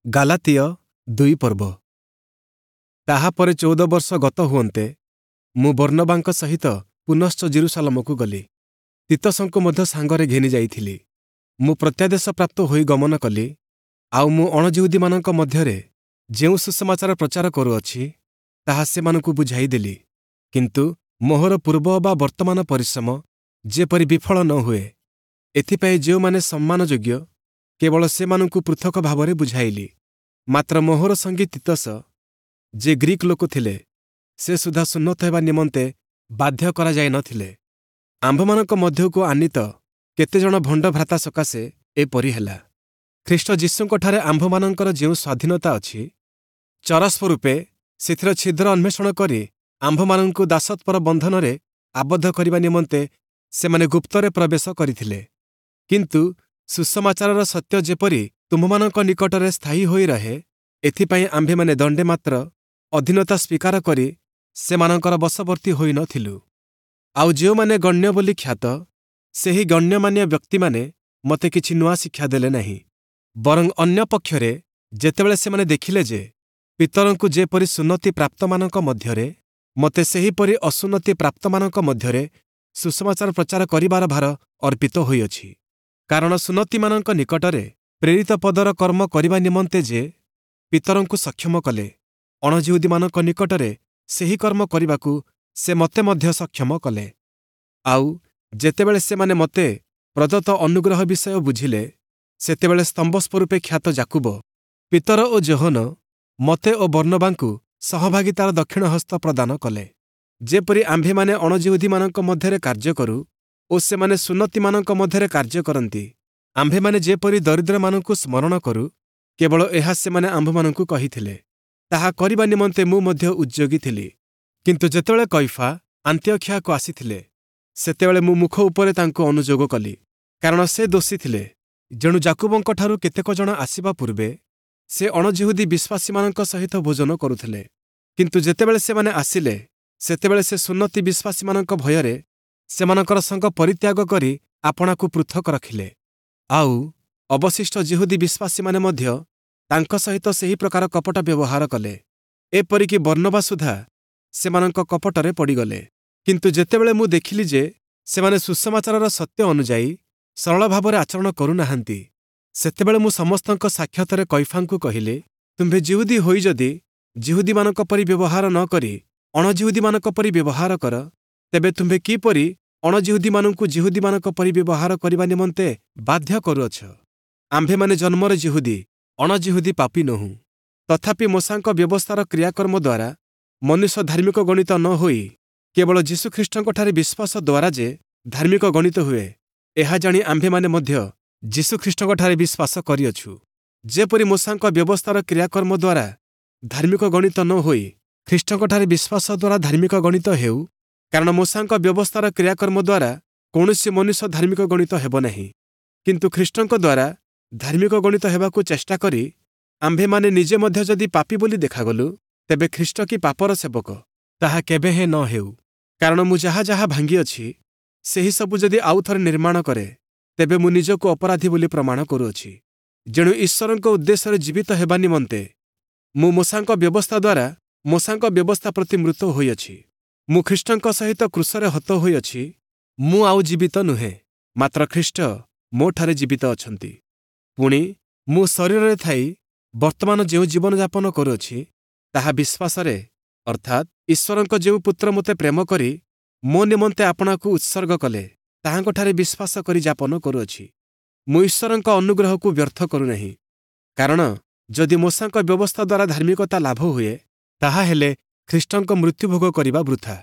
Galatia 2 ପର୍ବ। ତାହାପରେ 14 ବର୍ଷ ଗତ ହୁଅନ୍ତେ ମୁଁ ବର୍ଣ୍ଣବାଙ୍କ ସହିତ ପୁନଶ୍ଚ ଯିରୂଶାଲମକୁ ଗଲି। ତୀତସଙ୍କୁ ମଧ୍ୟ ସାଙ୍ଗରେ ଘେନି ଯାଇଥିଲି। ମୁଁ ପ୍ରତ୍ୟାଦେଶ ପ୍ରାପ୍ତ ହୋଇ ଗମନ କଲି, ଆଉ ମୁଁ ଅଣଯିହୂଦୀମାନଙ୍କ ମଧ୍ୟରେ ଯେଉଁ ସୁସମାଚାର ପ୍ରଚାର କରୁଅଛି, ତାହା ସେମାନଙ୍କୁ ବୁଝାଇ ଦେଲି। କିନ୍ତୁ ମୋହର ପୂର୍ବ ବା ବର୍ତ୍ତମାନ ପରିଶ୍ରମ ଯେପରି ବିଫଳ ନ ହୁଏ, ଏଥିପାଇଁ ଯେଉଁମାନେ ସମ୍ମାନଯୋଗ୍ୟ, କେବଳ ସେମାନଙ୍କୁ ପୃଥକ ଭାବରେ ବୁଝାଇଲି। ମାତ୍ର ମୋହର ସଙ୍ଗୀ ତୀତସ, ଯେ ଗ୍ରୀକ ଲୋକ ଥିଲେ, ସେ ସୁଦ୍ଧା ସୁନ୍ନତ ହେବା ନିମନ୍ତେ ବାଧ୍ୟ କରାଯାଇ ନ ଥିଲେ। ଆମ୍ଭମାନଙ୍କ ମଧ୍ୟକୁ ଆନୀତ କେତେଜଣ ଭଣ୍ଡ ଭ୍ରାତା ସକାଶେ ଏପରି ହେଲା। ଖ୍ରୀଷ୍ଟ ଯୀଶୁଙ୍କଠାରେ ଆମ୍ଭମାନଙ୍କର ଯେଉଁ ସ୍ୱାଧୀନତା ଅଛି, ଚରସ୍ୱରୂପେ ସେଥିର ଛିଦ୍ର ଅନ୍ୱେଷଣ କରି ଆମ୍ଭମାନଙ୍କୁ ଦାସତ୍ୱର ବନ୍ଧନରେ ଆବଦ୍ଧ କରିବା ନିମନ୍ତେ ସେମାନେ ଗୁପ୍ତରେ ପ୍ରବେଶ କରିଥିଲେ। କିନ୍ତୁ ସୁସମାଚାରର ସତ୍ୟ ଯେପରି ତୁମ୍ଭମାନଙ୍କ ନିକଟରେ ସ୍ଥାୟୀ ହୋଇ ରହେ, ଏଥିପାଇଁ ଆମ୍ଭେମାନେ ଦଣ୍ଡେ ମାତ୍ର ଅଧୀନତା ସ୍ୱୀକାର କରି ସେମାନଙ୍କର ବଶବର୍ତ୍ତୀ ହୋଇ ନ ଥିଲୁ। ଆଉ ଯେଉଁମାନେ ଗଣ୍ୟ ବୋଲି ଖ୍ୟାତ, ସେହି ଗଣ୍ୟମାନ୍ୟ ବ୍ୟକ୍ତିମାନେ ମୋତେ କିଛି ନୂଆ ଶିକ୍ଷା ଦେଲେ ନାହିଁ। ବରଂ ଅନ୍ୟ ପକ୍ଷରେ ଯେତେବେଳେ ସେମାନେ ଦେଖିଲେ ଯେ ପିତରଙ୍କୁ ଯେପରି ସୁନ୍ନତି ପ୍ରାପ୍ତମାନଙ୍କ ମଧ୍ୟରେ, ମୋତେ ସେହିପରି ଅସୁନ୍ନତି ପ୍ରାପ୍ତମାନଙ୍କ ମଧ୍ୟରେ ସୁସମାଚାର ପ୍ରଚାର କରିବାର ଭାର ଅର୍ପିତ ହୋଇଅଛି। କାରଣ ସୁନ୍ନତିମାନଙ୍କ ନିକଟରେ ପ୍ରେରିତ ପଦର କର୍ମ କରିବା ନିମନ୍ତେ ଯେ ପିତରଙ୍କୁ ସକ୍ଷମ କଲେ, ଅଣଯିହୂଦୀମାନଙ୍କ ନିକଟରେ ସେହି କର୍ମ କରିବାକୁ ସେ ମୋତେ ମଧ୍ୟ ସକ୍ଷମ କଲେ। ଆଉ ଯେତେବେଳେ ସେମାନେ ମୋତେ ପ୍ରଦତ୍ତ ଅନୁଗ୍ରହ ବିଷୟ ବୁଝିଲେ, ସେତେବେଳେ ସ୍ତମ୍ଭ ସ୍ୱରୂପେ ଖ୍ୟାତ ଯାକୁବ, ପିତର ଓ ଯୋହନ ମୋତେ ଓ ବର୍ଣ୍ଣବାଙ୍କୁ ସହଭାଗିତାର ଦକ୍ଷିଣ ହସ୍ତ ପ୍ରଦାନ କଲେ। ଯେପରି ଆମ୍ଭେମାନେ ଅଣଯିହୂଦୀମାନଙ୍କ ମଧ୍ୟରେ କାର୍ଯ୍ୟ କରୁ ଓ ସେମାନେ ସୁନ୍ନତିମାନଙ୍କ ମଧ୍ୟରେ କାର୍ଯ୍ୟ କରନ୍ତି, ଆମ୍ଭେମାନେ ଯେପରି ଦରିଦ୍ରମାନଙ୍କୁ ସ୍ମରଣ କରୁ, କେବଳ ଏହା ସେମାନେ ଆମ୍ଭମାନଙ୍କୁ କହିଥିଲେ। ତାହା କରିବା ନିମନ୍ତେ ମୁଁ ମଧ୍ୟ ଉଦ୍ଯୋଗୀ ଥିଲି। କିନ୍ତୁ ଯେତେବେଳେ କୈଫା ଆନ୍ତିୟଖିଆକୁ ଆସିଥିଲେ, ସେତେବେଳେ ମୁଁ ମୁଖ ଉପରେ ତାଙ୍କୁ ଅନୁଯୋଗ କଲି, କାରଣ ସେ ଦୋଷୀ ଥିଲେ। ଯେଣୁ ଯାକୁବଙ୍କଠାରୁ କେତେକ ଜଣ ଆସିବା ପୂର୍ବେ ସେ ଅଣଯିହୂଦୀ ବିଶ୍ୱାସୀମାନଙ୍କ ସହିତ ଭୋଜନ କରୁଥିଲେ। କିନ୍ତୁ ଯେତେବେଳେ ସେମାନେ ଆସିଲେ, ସେତେବେଳେ ସେ ସୁନ୍ନତି ବିଶ୍ୱାସୀମାନଙ୍କ ଭୟରେ ସେମାନଙ୍କର ସଙ୍ଗ ପରିତ୍ୟାଗ କରି ଆପଣାକୁ ପୃଥକ ରଖିଲେ। ଆଉ ଅବଶିଷ୍ଟ ଯିହୂଦୀ ବିଶ୍ୱାସୀମାନେ ମଧ୍ୟ ତାଙ୍କ ସହିତ ସେହି ପ୍ରକାର କପଟ ବ୍ୟବହାର କଲେ। ଏପରିକି ବର୍ଣ୍ଣବା ସୁଦ୍ଧା ସେମାନଙ୍କ କପଟରେ ପଡ଼ିଗଲେ। କିନ୍ତୁ ଯେତେବେଳେ ମୁଁ ଦେଖିଲି ଯେ ସେମାନେ ସୁସମାଚାରର ସତ୍ୟ ଅନୁଯାୟୀ ସରଳ ଭାବରେ ଆଚରଣ କରୁନାହାନ୍ତି, ସେତେବେଳେ ମୁଁ ସମସ୍ତଙ୍କ ସାକ୍ଷାତରେ କୈଫାଙ୍କୁ କହିଲି, ତୁମ୍ଭେ ଯିହୂଦୀ ହୋଇ ଯଦି ଯିହୂଦୀମାନଙ୍କ ପରି ବ୍ୟବହାର ନ କରି ଅଣଯିହୂଦୀମାନଙ୍କ ପରି ବ୍ୟବହାର କର, ତେବେ ତୁମ୍ଭେ କିପରି ଅଣଯିହୂଦୀମାନଙ୍କୁ ଯିହୂଦୀମାନଙ୍କ ପରି ବ୍ୟବହାର କରିବା ନିମନ୍ତେ ବାଧ୍ୟ କରୁଅଛ? ଆମ୍ଭେମାନେ ଜନ୍ମରେ ଯିହୂଦୀ, ଅଣଯିହୂଦୀ ପାପୀ ନୋହୁଁ। ତଥାପି ମୋଶାଙ୍କ ବ୍ୟବସ୍ଥାର କ୍ରିୟାକର୍ମ ଦ୍ୱାରା ମନୁଷ୍ୟ ଧାର୍ମିକ ଗଣିତ ନ ହୋଇ କେବଳ ଯୀଶୁଖ୍ରୀଷ୍ଟଙ୍କଠାରେ ବିଶ୍ୱାସ ଦ୍ୱାରା ଯେ ଧାର୍ମିକ ଗଣିତ ହୁଏ, ଏହା ଜାଣି ଆମ୍ଭେମାନେ ମଧ୍ୟ ଯୀଶୁଖ୍ରୀଷ୍ଟଙ୍କଠାରେ ବିଶ୍ୱାସ କରିଅଛୁ। ଯେପରି ମୋଶାଙ୍କ ବ୍ୟବସ୍ଥାର କ୍ରିୟାକର୍ମ ଦ୍ୱାରା ଧାର୍ମିକ ଗଣିତ ନ ହୋଇ ଖ୍ରୀଷ୍ଟଙ୍କଠାରେ ବିଶ୍ୱାସ ଦ୍ୱାରା ଧାର୍ମିକ ଗଣିତ ହେଉ, କାରଣ ମୋଶାଙ୍କ ବ୍ୟବସ୍ଥାର କ୍ରିୟାକର୍ମ ଦ୍ୱାରା କୌଣସି ମନୁଷ୍ୟ ଧାର୍ମିକ ଗଣିତ ହେବ ନାହିଁ। କିନ୍ତୁ ଖ୍ରୀଷ୍ଟଙ୍କ ଦ୍ୱାରା ଧାର୍ମିକ ଗଣିତ ହେବାକୁ ଚେଷ୍ଟା କରି ଆମ୍ଭେମାନେ ନିଜେ ମଧ୍ୟ ଯଦି ପାପୀ ବୋଲି ଦେଖାଗଲୁ, ତେବେ ଖ୍ରୀଷ୍ଟ କି ପାପର ସେବକ? ତାହା କେବେ ହେଁ ନ ହେଉ। କାରଣ ମୁଁ ଯାହା ଯାହା ଭାଙ୍ଗିଅଛି, ସେହି ସବୁ ଯଦି ଆଉ ଥରେ ନିର୍ମାଣ କରେ, ତେବେ ମୁଁ ନିଜକୁ ଅପରାଧୀ ବୋଲି ପ୍ରମାଣ କରୁଅଛି। ଯେଣୁ ଈଶ୍ୱରଙ୍କ ଉଦ୍ଦେଶ୍ୟରେ ଜୀବିତ ହେବା ନିମନ୍ତେ ମୁଁ ମୋଶାଙ୍କ ବ୍ୟବସ୍ଥା ଦ୍ୱାରା ମୋଶାଙ୍କ ବ୍ୟବସ୍ଥା ପ୍ରତି ମୃତ ହୋଇଅଛି। ମୁଁ ଖ୍ରୀଷ୍ଟଙ୍କ ସହିତ କ୍ରୁଶରେ ହତ ହୋଇଅଛି। ମୁଁ ଆଉ ଜୀବିତ ନୁହେଁ, ମାତ୍ର ଖ୍ରୀଷ୍ଟ ମୋଠାରେ ଜୀବିତ ଅଛନ୍ତି। ପୁଣି ମୁଁ ଶରୀରରେ ଥାଇ ବର୍ତ୍ତମାନ ଯେଉଁ ଜୀବନଯାପନ କରୁଅଛି, ତାହା ବିଶ୍ୱାସରେ, ଅର୍ଥାତ୍ ଈଶ୍ୱରଙ୍କ ଯେଉଁ ପୁତ୍ର ମୋତେ ପ୍ରେମ କରି ମୋ ନିମନ୍ତେ ଆପଣାକୁ ଉତ୍ସର୍ଗ କଲେ, ତାହାଙ୍କଠାରେ ବିଶ୍ୱାସ କରି ଯାପନ କରୁଅଛି। ମୁଁ ଈଶ୍ୱରଙ୍କ ଅନୁଗ୍ରହକୁ ବ୍ୟର୍ଥ କରୁନାହିଁ, କାରଣ ଯଦି ମୋଶାଙ୍କ ବ୍ୟବସ୍ଥା ଦ୍ୱାରା ଧାର୍ମିକତା ଲାଭ ହୁଏ, ତାହାହେଲେ ଖ୍ରୀଷ୍ଟଙ୍କ ମୃତ୍ୟୁଭୋଗ କରିବା ବୃଥା।